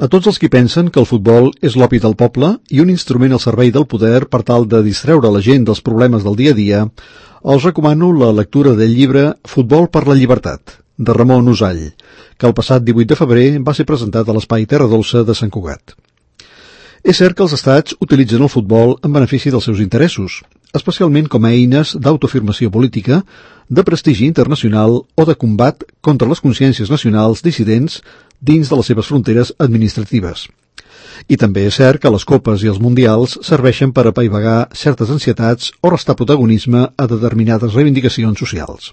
A tots els qui pensen que el futbol és l'opi del poble i un instrument al servei del poder per tal de distreure la gent dels problemes del dia a dia, els recomano la lectura del llibre Futbol per la llibertat, de Ramon Usall, que el passat 18 de febrer va ser presentat a l'Espai Terra Dolça de Sant Cugat. És cert que els estats utilitzen el futbol en benefici dels seus interessos, especialment com a eines d'autoafirmació política, de prestigi internacional o de combat contra les consciències nacionals dissidents dins de les seves fronteres administratives. I també és cert que les copes i els mundials serveixen per apaivagar certes ansietats o restar protagonisme a determinades reivindicacions socials.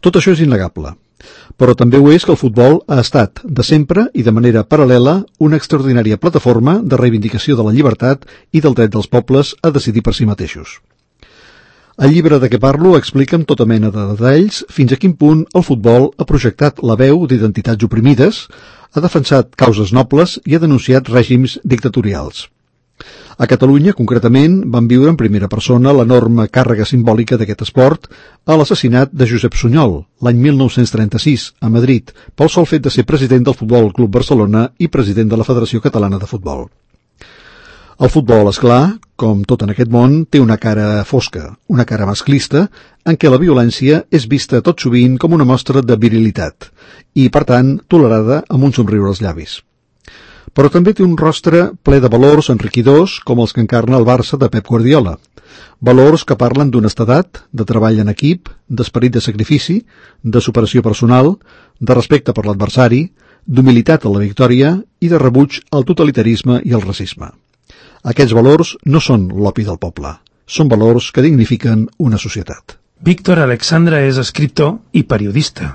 Tot això és innegable, però també ho és que el futbol ha estat, de sempre i de manera paral·lela, una extraordinària plataforma de reivindicació de la llibertat i del dret dels pobles a decidir per si mateixos. El llibre de què parlo explica amb tota mena de detalls fins a quin punt el futbol ha projectat la veu d'identitats oprimides, ha defensat causes nobles i ha denunciat règims dictatorials. A Catalunya, concretament, van viure en primera persona l'enorme càrrega simbòlica d'aquest esport a l'assassinat de Josep Sunyol, l'any 1936, a Madrid, pel sol fet de ser president del Futbol Club Barcelona i president de la Federació Catalana de Futbol. El futbol, esclar, com tot en aquest món, té una cara fosca, una cara masclista, en què la violència és vista tot sovint com una mostra de virilitat i, per tant, tolerada amb un somriure als llavis. Però també té un rostre ple de valors enriquidors com els que encarna el Barça de Pep Guardiola. Valors que parlen d'honestedat, de treball en equip, d'esperit de sacrifici, de superació personal, de respecte per l'adversari, d'humilitat a la victòria i de rebuig al totalitarisme i al racisme. Aquests valors no són l'opi del poble, són valors que dignifiquen una societat. Víctor Alexandra és escriptor i periodista.